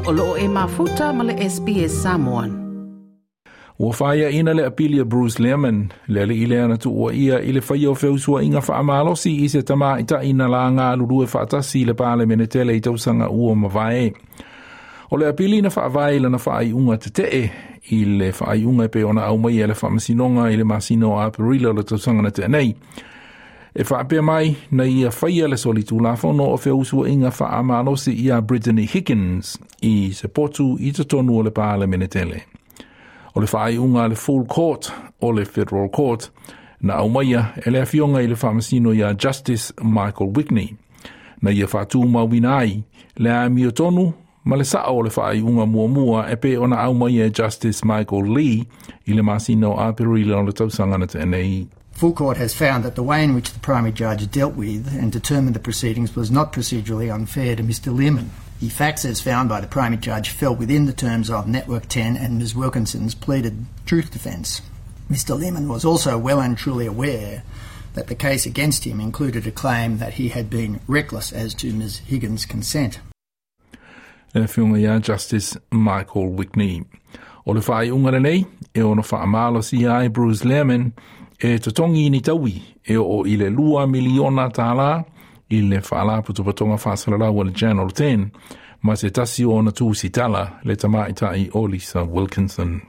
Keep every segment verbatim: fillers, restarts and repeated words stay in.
O loo e mafuta ma le S B S Samoan. Ua whaia ina le apili a Bruce Lehrmann, le ali ile ana tuua ia i le whaia o feusua inga whaamalosi i se tama ita ina la ngā lulue whaatasi le pāle menetele i tausanga ua mavae. O le apili na whaavae lana whaai unga te tee i le whaai unga pe ona au mai e le whaamasinonga i le masino a Aperila o le tausanga na te nei. E whaapea mai na ia whaia le soli tūlafono o feusua inga whaamalosi i a Brittany Higgins i se potu i te tonu o le pāle menetele. O le whaai unga le full court o le federal court na aumaia e le afionga i le whaamasino ia Justice Michael Wigney. Na ia whaatū mauina ai le amio tonu ma le sao o le whaai unga muamua e pe ona aumaia e Justice Michael Lee i le masino a Perila o le tausanga na te nei. Full Court has found that the way in which the primary judge dealt with and determined the proceedings was not procedurally unfair to Mister Lehrmann. The facts as found by the primary judge fell within the terms of Network ten and Miz Wilkinson's pleaded truth defence. Mister Lehrmann was also well and truly aware that the case against him included a claim that he had been reckless as to Miz Higgins' consent. Le whiunga ia Justice Michael Wigney. O le whai unga nei, e ono whaamalo si ai Bruce Lehrmann, e totongi ni taui, e o i le lua miliona tālā, i le whaala putupatonga whaasalalau o le Channel ten, ma se tasi o na tūsi tala le tamaitai o Lisa Wilkinson.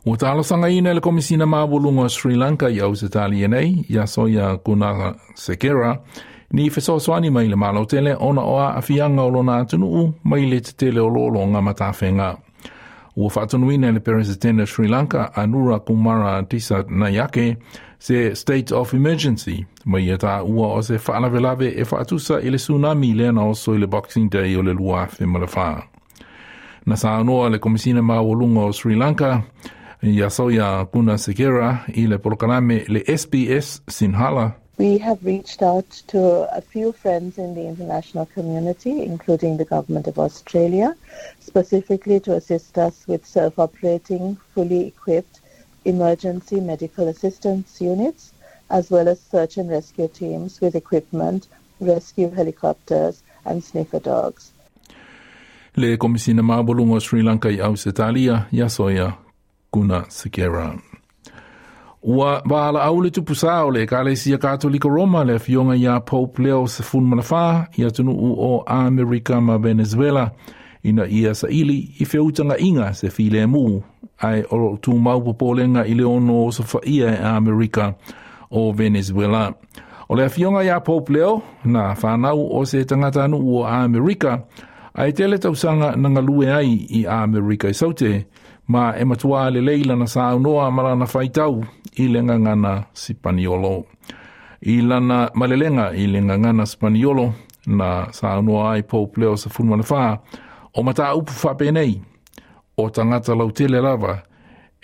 Ua talosanga ina le komisina mawalunga o Sri Lanka i au se tali nei, ia soia Guna Sekera, ni fesoasoani mai le malo tele ona oa afianga o lona atunuu mai le tetele o lolonga matawhenga. Ua whaatonuina le President Sri Lanka Anura Kumara Dissanayake se state of emergency mai e tā ua o se whaalavelave e whaatusa i le tsunami le ana oso i le Boxing Day o le lua afe ma le wha. Na saanoa le komisina mawalunga o Sri Lanka ia soia Guna Sekera i le polokalame le S B S Sinhala. We have reached out to a few friends in the international community, including the Government of Australia, specifically to assist us with self-operating, fully equipped emergency medical assistance units, as well as search and rescue teams with equipment, rescue helicopters and sniffer dogs. Le Komisina Mawalunga o Sri Lanka i Ausetalia, ia soia Guna Sekera. Ua waala au le tupusa o le Ekalesia Katolika Roma le afioga ia Pope Leo sefulu ma le whā i atunuu o Amerika ma Venezuela ina ia saili i feutanga inga se file mu ai o tūmau popolenga i le ono o sofaia e Amerika o Venezuela. O le afioga ia Pope Leo na whanau o se tangata anu o Amerika ai tele tausanga nangalue ai i Amerika i saute ma e matua le leila na saunoa malana whaitau i le ngangana Sipaniolo. I lana malelenga i le ngangana Sipaniolo na saunoa ai Pope Leo sefulu ma le whā o mata upu whapenei o tangata lautele lava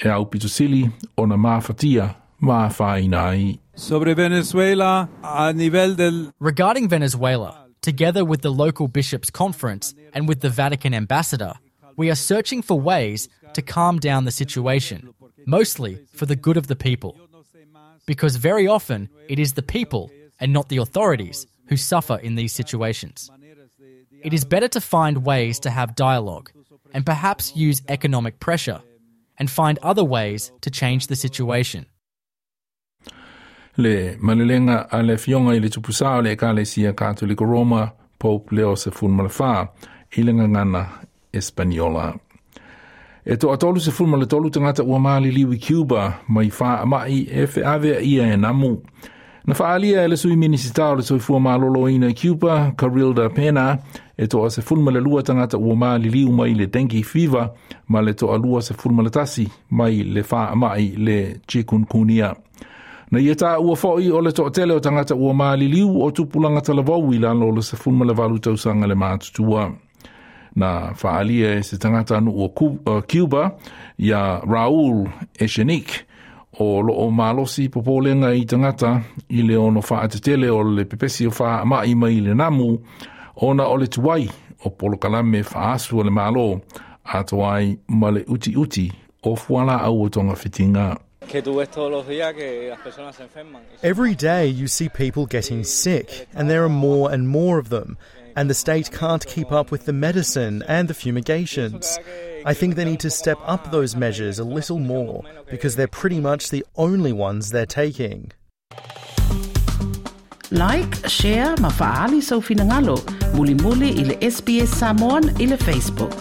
e au pitosili o na māwhatia mā whaina ai. Sobre Venezuela a nivel del... Regarding Venezuela, together with the local bishops' conference and with the Vatican ambassador, we are searching for ways to calm down the situation, mostly for the good of the people. Because very often it is the people and not the authorities who suffer in these situations. It is better to find ways to have dialogue and perhaps use economic pressure and find other ways to change the situation. Le malelenga a le fionga i le tupusa o le Ekalesia Katolika Roma, Pope Leo sefulu ma le whā, i le ngangana Espaniola. E to atolu sefulu ma le tolu tangata ua maali liwi Cuba mai wha mai e wheave ia e namu. Na whaalia e le sui minisita o le soifua malolo ina Cuba, Carilda Pena, e toa sefulu ma le lua tangata ua maali liu mai le dengue fever, ma le toa lua sefulu ma le tasi mai le wha mai le chikungunya. Na ia tā ua foi o le toatele o tangata ua maali liu o tupulanga talavau i lalo o le sefulu ma le valu tausanga le mātutua. Na whaalia e se tangata anu o Cuba ia Raul Echenique o loo malosi popolenga i tangata i le ono whaatetele o le pepesi o wha mai mai le namu ona o le tuai o polokalame whaasu o le malo atoai ma le uti uti o fuala au o tonga whitinga. Every day you see people getting sick, and there are more and more of them, and the state can't keep up with the medicine and the fumigations. I think they need to step up those measures a little more, because they're pretty much the only ones they're taking. Like, share, ma faali sau finangalo, mulimuli i le S B S Samoan i le Facebook.